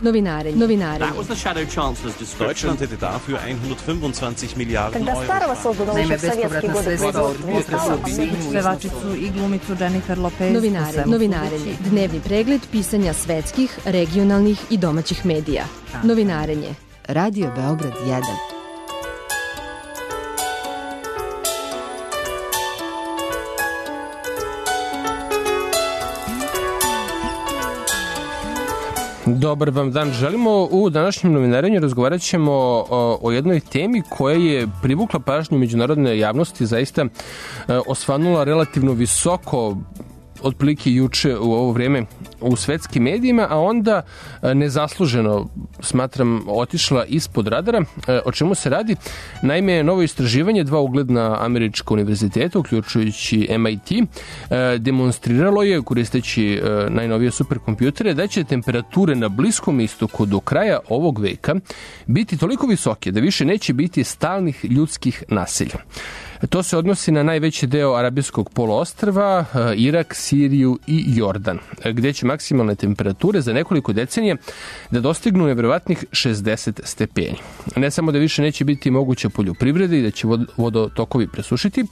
Novinare. That was the Shadow Chancellor's description. Deutschland hätte dafür 125 Milijarden Когда Euro. старого создано еще в советские годы производства. Pevačicu i glumicu Jennifer Lopez. Novinarenje. Dnevni pregled pisanja svetskih, regionalnih i domaćih medija. Novinarenje. Radio Beograd 1. Dobar vam dan. Želimo u današnjem novinarenju razgovarat ćemo o jednoj temi koja je privukla pažnju međunarodne javnosti, zaista osvanula relativno visoko otprilike juče u ovo vreme u svetskim medijima, a onda nezasluženo, smatram, otišla ispod radara. O čemu se radi? Naime, novo istraživanje 2 ugledna američka univerziteta, uključujući MIT, demonstriralo je, koristeći najnovije superkompjutere, da će temperature na Bliskom istoku do kraja ovog veka biti toliko visoke da više neće biti stalnih ljudskih naselja. To se odnosi na najveći deo Arabijskog poluostrva, Irak, Siriju i Jordan, gde će maksimalne temperature za nekoliko decenija da dostignu neverovatnih 60 stepeni. Ne samo da više neće biti moguća poljoprivreda i da će vodotokovi presušiti,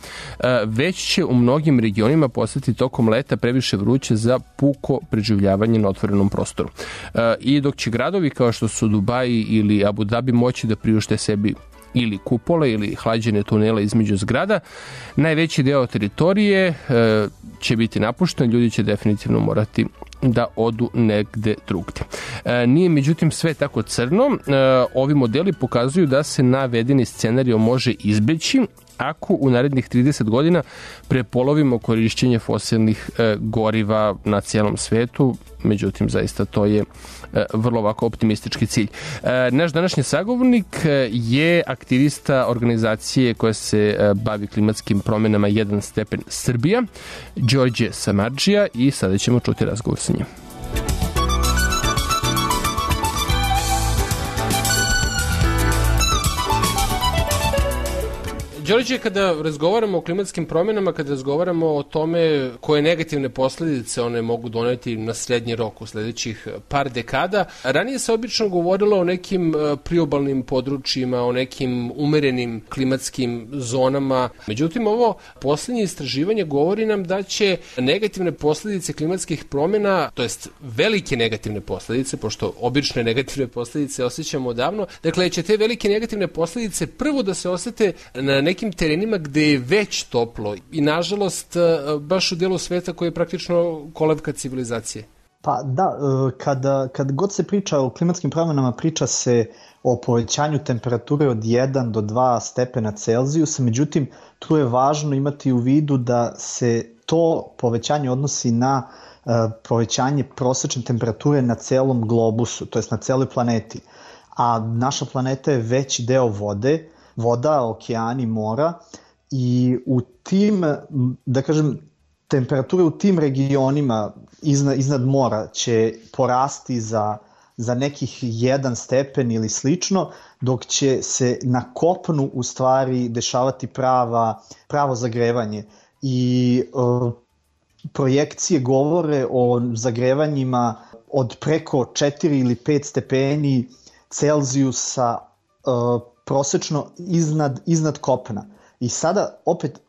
već će u mnogim regionima postati tokom leta previše vruće za puko preživljavanje na otvorenom prostoru. I dok će gradovi kao što su Dubaji ili Abu Dhabi moći da priušte sebi ili kupole ili hlađene tunele između zgrada, najveći deo teritorije će biti napušten, ljudi će definitivno morati da odu negde drugde. Nije međutim sve tako crno. Ovi modeli pokazuju da se navedeni scenario može izbeći ako u narednih 30 godina prepolovimo korišćenje fosilnih goriva na cijelom svetu. Međutim, zaista to je vrlo ovako optimistički cilj. Naš današnji sagovornik je aktivista organizacije koja se bavi klimatskim promjenama 1 stepen Srbija, Đorđe Samardžija, i sada ćemo čuti razgovor sa njim. Đorđe, kada razgovaramo o klimatskim promjenama, kada razgovaramo o tome koje negativne posljedice one mogu doneti na srednji rok u sljedećih par dekada, ranije se obično govorilo o nekim priobalnim područjima, o nekim umerenim klimatskim zonama. Međutim, ovo posljednje istraživanje govori nam da će negativne posljedice klimatskih promjena, to jest velike negativne posljedice, pošto obične negativne posljedice osjećamo odavno, dakle će te velike negativne posljedice prvo da se osjete na nekim terenima gde je već toplo i nažalost baš u dijelu sveta koji je praktično kolevka civilizacije. Pa da, kad god se priča o klimatskim promjenama, priča se o povećanju temperature od 1 do 2 stepena Celzijusa, međutim tu je važno imati u vidu da se to povećanje odnosi na povećanje prosječne temperature na celom globusu, to jest na celoj planeti. A naša planeta je veći deo voda, okeani, mora, i u tim, da kažem, temperature u tim regionima iznad mora će porasti za nekih 1 stepen ili slično, dok će se na kopnu u stvari dešavati pravo zagrevanje. I projekcije govore o zagrevanjima od preko 4 ili 5 stepeni Celzijusa prosečno iznad kopna. I sada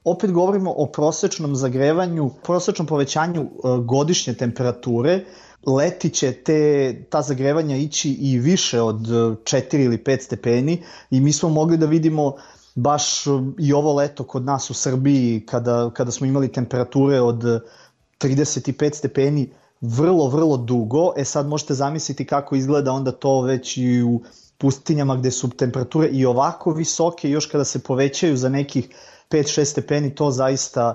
opet govorimo o prosečnom zagrevanju, prosečnom povećanju godišnje temperature. Leti će ta zagrevanja ići i više od 4 ili 5 stepeni i mi smo mogli da vidimo baš i ovo leto kod nas u Srbiji kada smo imali temperature od 35 stepeni vrlo, vrlo dugo. Sad možete zamisliti kako izgleda onda to već i u pustinjama gde su temperature i ovako visoke, još kada se povećaju za nekih 5-6 stepeni, to zaista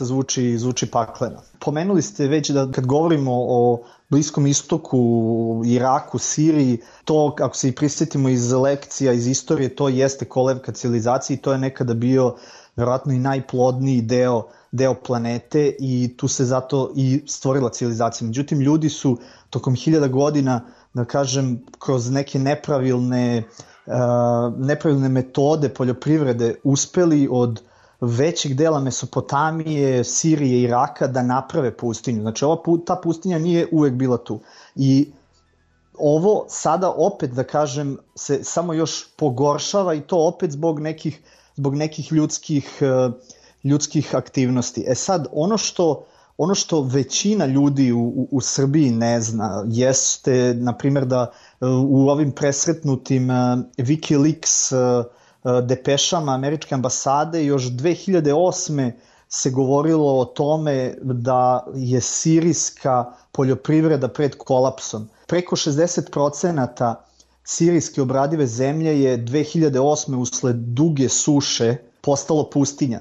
zvuči pakleno. Pomenuli ste već da kad govorimo o Bliskom istoku, Iraku, Siriji, to ako se i prisjetimo iz lekcija, iz istorije, to jeste kolevka civilizacije i to je nekada bio verovatno i najplodniji deo planete i tu se zato i stvorila civilizacija. Međutim, ljudi su tokom 1000 godina, da kažem, kroz neke nepravilne metode poljoprivrede uspeli od većeg dela Mesopotamije, Sirije i Iraka da naprave pustinju. Znači ta pustinja nije uvek bila tu. I ovo sada opet, da kažem, se samo još pogoršava i to opet zbog nekih ljudskih aktivnosti. Sad, ono što većina ljudi u Srbiji ne zna jeste, na primjer, da u ovim presretnutim Wikileaks depešama američke ambasade još 2008. se govorilo o tome da je sirijska poljoprivreda pred kolapsom. Preko 60% sirijske obradive zemlje je 2008. usled duge suše postalo pustinja.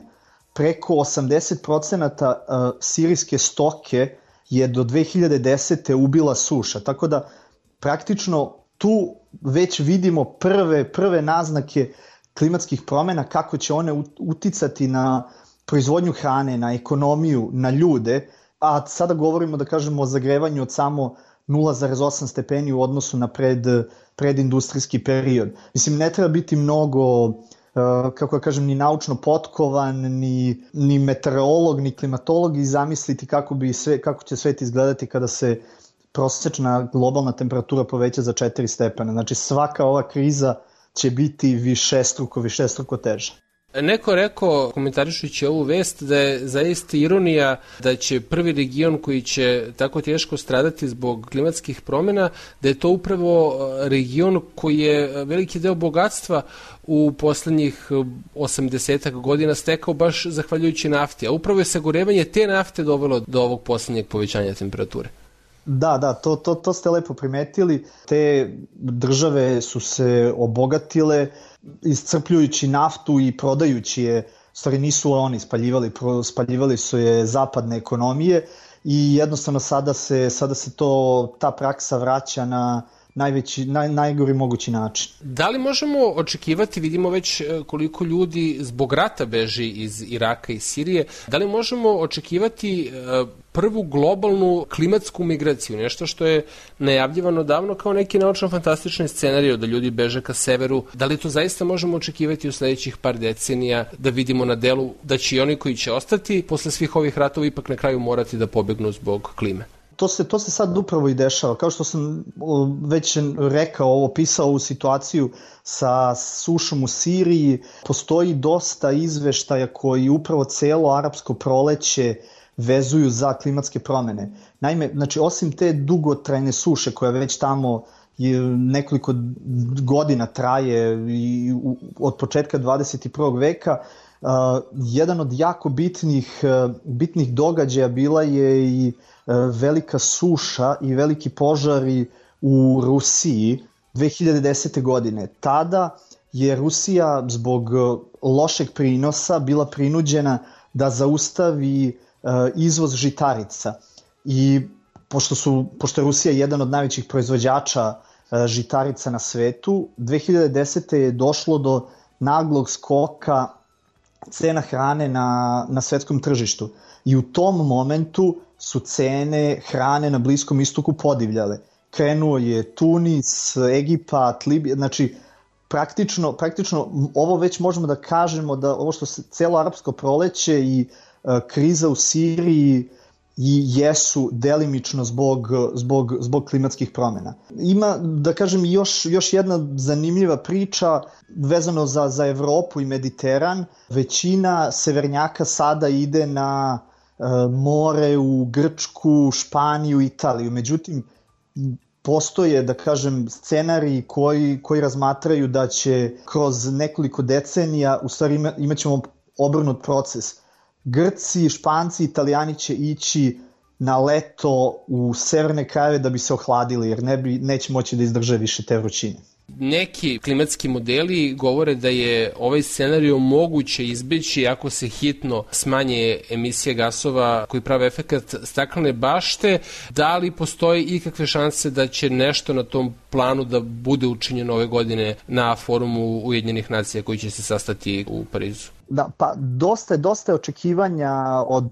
Preko 80% sirijske stoke je do 2010. ubila suša. Tako da praktično tu već vidimo prve naznake klimatskih promjena, kako će one uticati na proizvodnju hrane, na ekonomiju, na ljude, a sada govorimo, da kažemo, o zagrevanju od samo 0,8 stepeni u odnosu na predindustrijski period. Mislim, ne treba biti mnogo, kako da kažem, ni naučno potkovan, ni meteorolog, ni klimatolog i zamisliti kako će svet izgledati kada se prosječna globalna temperatura poveća za 4 stepena. Znači, svaka ova kriza će biti višestruko teža. Neko rekao, komentarišujući ovu vest, da je zaista ironija da će prvi region koji će tako teško stradati zbog klimatskih promjena, da je to upravo region koji je veliki deo bogatstva u poslednjih 80 godina stekao baš zahvaljujući nafti, a upravo je sagorevanje te nafte dovelo do ovog poslednjeg povećanja temperature. Da, to ste lepo primetili. Te države su se obogatile iscrpljujući naftu i prodajući je, stvari nisu oni spaljivali su je zapadne ekonomije i jednostavno sada se ta praksa vraća na najgori mogući način. Da li možemo očekivati, vidimo već koliko ljudi zbog rata beži iz Iraka i Sirije, da li možemo očekivati prvu globalnu klimatsku migraciju, nešto što je najavljivano davno kao neki naučno-fantastični scenarij, da ljudi beže ka severu, da li to zaista možemo očekivati u sledećih par decenija, da vidimo na delu da će i oni koji će ostati posle svih ovih ratova ipak na kraju morati da pobegnu zbog klime? To se sad upravo i dešava. Kao što sam već rekao, opisao ovu situaciju sa sušom u Siriji, postoji dosta izveštaja koji upravo celo arapsko proleće vezuju za klimatske promjene. Naime, znači, osim te dugotrajne suše koja već tamo nekoliko godina traje i od početka 21. veka, jedan od jako bitnih događaja bila je i velika suša i veliki požari u Rusiji 2010. godine. Tada je Rusija zbog lošeg prinosa bila prinuđena da zaustavi izvoz žitarica. I pošto je Rusija jedan od najvećih proizvođača žitarica na svetu, 2010. je došlo do naglog skoka cena hrane na svetskom tržištu. I u tom momentu su cene hrane na Bliskom istoku podivljale. Krenuo je Tunis, Egipat, Libija, znači praktično ovo već možemo da kažemo da ovo što se celo arapsko proleće i kriza u Siriji i jesu delimično zbog klimatskih promjena. Ima, da kažem, još jedna zanimljiva priča vezano za Evropu i Mediteran. Većina severnjaka sada ide na more u Grčku, Španiju, Italiju. Međutim, postoje, da kažem, scenariji koji razmatraju da će kroz nekoliko decenija, u stvari imat ćemo obrnut proces. Grci, Španci, Italijani će ići na leto u severne krajeve da bi se ohladili, jer neće moći da izdrže više te vrućine. Neki klimatski modeli govore da je ovaj scenarij moguće izbeći ako se hitno smanje emisije gasova koji prave efekat staklene bašte. Da li postoji ikakve šanse da će nešto na tom planu da bude učinjeno ove godine na forumu Ujedinjenih nacija koji će se sastati u Parizu? Da, pa dosta je očekivanja od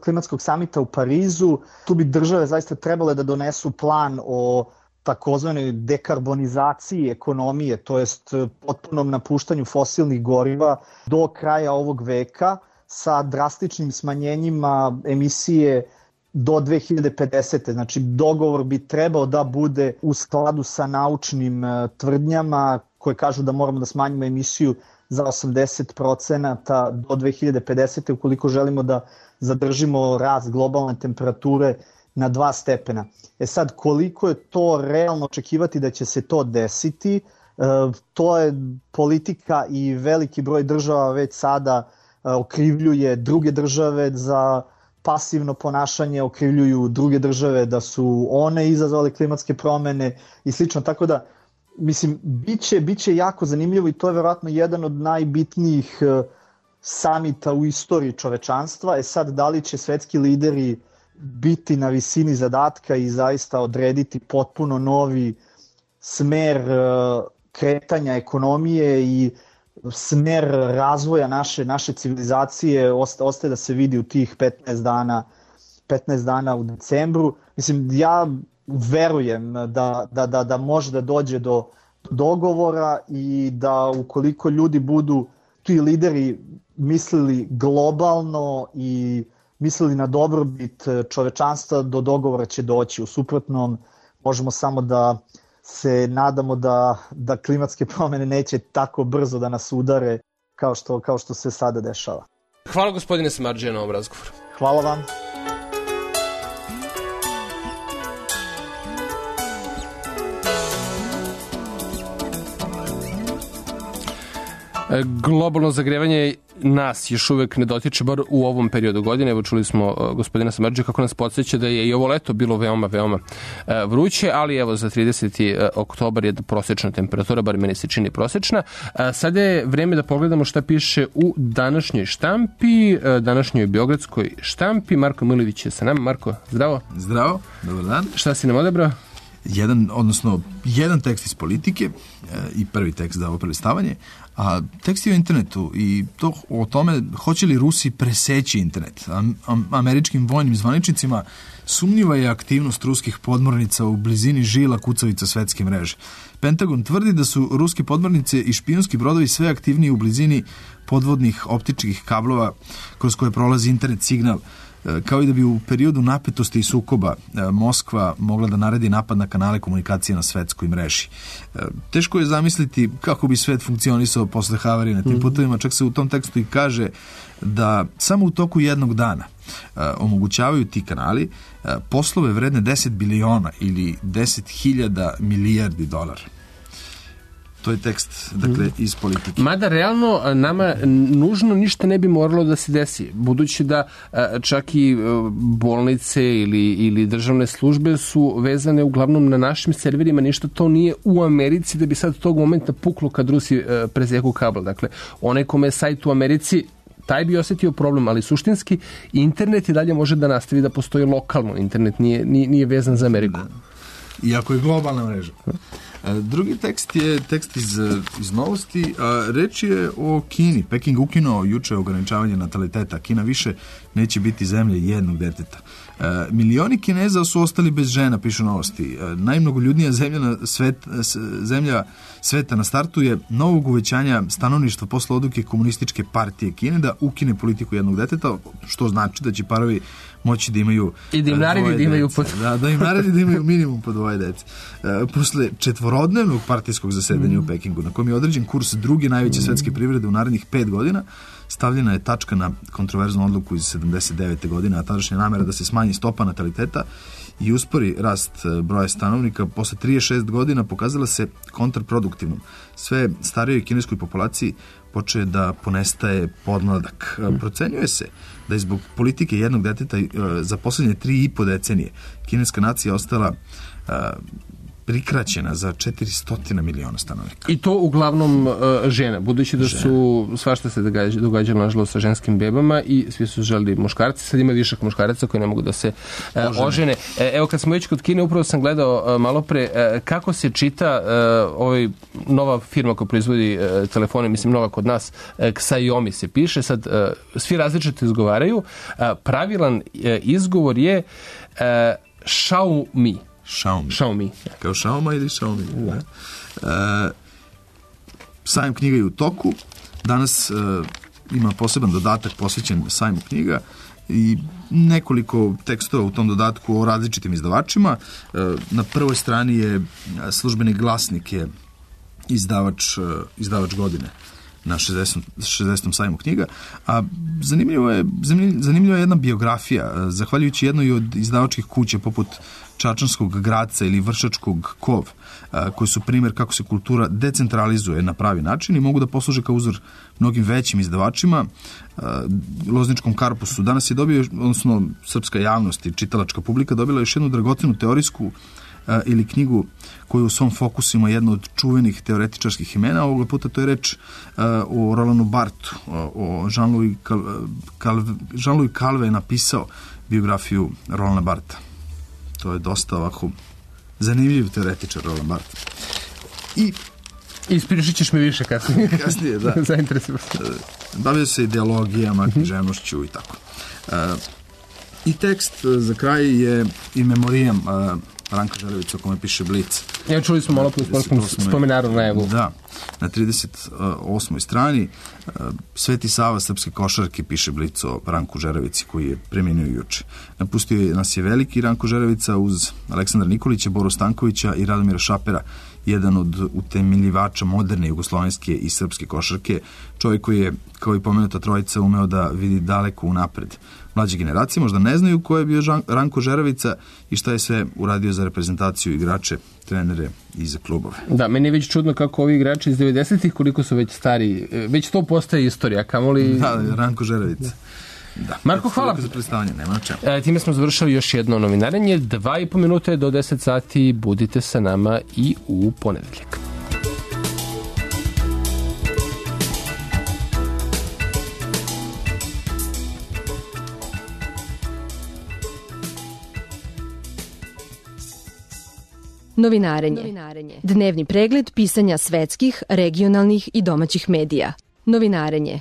klimatskog samita u Parizu. Tu bi države zaista trebale da donesu plan o takozvanoj dekarbonizaciji ekonomije, to jest potpunom napuštanju fosilnih goriva do kraja ovog veka sa drastičnim smanjenjima emisije do 2050. Znači, dogovor bi trebao da bude u skladu sa naučnim tvrdnjama koje kažu da moramo da smanjimo emisiju za 80% do 2050. ukoliko želimo da zadržimo rast globalne temperature na 2 stepena. Sad, koliko je to realno očekivati da će se to desiti, to je politika i veliki broj država već sada okrivljuje druge države za pasivno ponašanje, okrivljuju druge države da su one izazvale klimatske promene i slično, tako da mislim, bit će jako zanimljivo i to je verovatno jedan od najbitnijih samita u istoriji čovečanstva. Sad, da li će svetski lideri biti na visini zadatka i zaista odrediti potpuno novi smer kretanja ekonomije i smer razvoja naše civilizacije, ostaje da se vidi u tih 15 dana u decembru. Mislim, ja verujem da može da dođe do dogovora i da ukoliko ljudi budu, ti lideri, mislili globalno i mislili na dobrobit čovečanstva, do dogovora će doći. U suprotnom, možemo samo da se nadamo da klimatske promene neće tako brzo da nas udare kao što se sada dešava. Hvala gospodine Samardžija na ovom razgovoru. Hvala vam. Globalno zagrevanje nas još uvek ne dotiče, bar u ovom periodu godine. Evo, čuli smo gospodina Samardžija kako nas podsjeća da je i ovo leto bilo veoma vruće, ali evo za 30. oktobar je prosečna temperatura, bar meni se čini prosečna. Sada je vreme da pogledamo šta piše u današnjoj štampi, današnjoj beogradskoj štampi. Marko Milović je sa nama. Marko, zdravo. Zdravo, dobar dan. Šta si nam odabrao? Jedan tekst iz Politike i prvi tekst za ovo prelistavanje, a tekst je o internetu i to o tome hoće li Rusi preseći internet. Američkim vojnim zvaničnicima sumnjiva je aktivnost ruskih podmornica u blizini žila kucavica svetske mreže. Pentagon tvrdi da su ruske podmornice i špijunski brodovi sve aktivniji u blizini podvodnih optičkih kablova kroz koje prolazi internet signal, kao i da bi u periodu napetosti i sukoba Moskva mogla da naredi napad na kanale komunikacije na svetskoj mreži. Teško je zamisliti kako bi svet funkcionisao posle havarije na tim putovima, čak se u tom tekstu i kaže da samo u toku jednog dana omogućavaju ti kanali poslove vredne 10 biliona ili 10.000 milijardi dolara. To je tekst, dakle, iz Politike. Mada, realno, nama nužno ništa ne bi moralo da se desi, budući da čak i bolnice ili državne službe su vezane uglavnom na našim serverima, ništa to nije u Americi da bi sad tog momenta puklo kad Rusi preseku kabel. Dakle, onaj kome je sajt u Americi, taj bi osetio problem, ali suštinski internet i dalje može da nastavi da postoji lokalno. Internet nije vezan za Ameriku. Iako je globalna mreža. Drugi tekst je tekst iz Novosti, a reč je o Kini. Peking ukinuo juče ograničavanje nataliteta. Kina više neće biti zemlja jednog deteta. Milioni Kineza su ostali bez žena, pišu Novosti. Najmnogoljudnija zemlja sveta na startu je novog uvećanja stanovništva posle odluke komunističke partije Kine da ukine politiku jednog deteta, što znači da će parovi moći da imaju i da im naredi da imaju da im naredi da imaju minimum po 2 dece. Posle četvorodnevnog partijskog zasedanja u Pekingu, na kojem je određen kurs druge najveće svetske privrede u narednih 5 godina, stavljena je tačka na kontroverznu odluku iz 79. godine, a tadašnja namera da se smanji stopa nataliteta i uspori rast broja stanovnika posle 36 godina pokazala se kontraproduktivnom. Sve starijoj kineskoj populaciji počeje da ponestaje podmladak. Procenjuje se da je zbog politike jednog deteta za poslednje 3,5 decenije kineska nacija ostala prikraćena za 400 miliona stanovnika. I to uglavnom žena, budući da su svašta se događalo nažalost sa ženskim bebama i svi su želeli muškarci, sad ima višak muškaraca koji ne mogu da se ožene. Evo, kad smo već kod Kine, upravo sam gledao malo pre kako se čita nova firma koja proizvodi telefone, mislim nova kod nas, Xiaomi se piše, sad svi različito izgovaraju, pravilan izgovor je Xiaomi. Xiaomi. Kao Xiaoma ili Xiaomi. Da. Sajam knjiga je u toku. Danas ima poseban dodatak posvećen sajmu knjiga i nekoliko tekstova u tom dodatku o različitim izdavačima. Na prvoj strani je Službeni glasnik, je izdavač godine na 60. sajmu knjiga, a zanimljiva je jedna biografija, zahvaljujući jednoj od izdavačkih kuća poput Čačanskog Graca ili Vršačkog Kov, koji su primjer kako se kultura decentralizuje na pravi način i mogu da posluže kao uzor mnogim većim izdavačima. Lozničkom Karpusu danas je dobio, odnosno srpska javnost i čitalačka publika dobila još jednu dragocenu teorijsku ili knjigu koju u svom fokusu ima jedno od čuvenih teoretičarskih imena. Ovoga puta to je reč o Rolanu Barthu, o Jean-Louis Calvet je napisao biografiju Rolana Bartha. To je dosta ovako zanimljiv teoretičar Roland Barthes. I ispričat ćeš mi više kasnije. Kasnije, da. Zainteresujem se. Bavio se ideologijama, književnošću i tako. I tekst za kraj je in memoriam Ranka Žerevića o kome piše Blic. Ja čuli smo malo po spomenaru na evu. Da, na 38. strani Sveti Sava srpske košarke, piše Blic o Ranku Žerevici koji je preminuo juče. Napustio nas je veliki Ranko Žerevica uz Aleksandra Nikolića, Boru Stankovića i Radomira Šapera, jedan od utemeljivača moderne jugoslovenske i srpske košarke, čovjek koji je, kao i pomenuta trojica, umeo da vidi daleko unapred. Mlađe generacije možda ne znaju ko je bio Ranko Žerevica i šta je sve uradio za reprezentaciju, igrače, trenere i za klubove. Da, meni je već čudno kako ovi igrači iz 90-ih, koliko su već stari, već to postaje istorija, kamoli... Da, Ranko Žerevica. Da. Marko, hvala. Za predstavljanje, nema na čemu. Time smo završili još jedno novinarenje. 2,5 minute do 10 sati. Budite sa nama i u ponedeljak. Novinarenje. Dnevni pregled pisanja svetskih, regionalnih i domaćih medija. Novinarenje.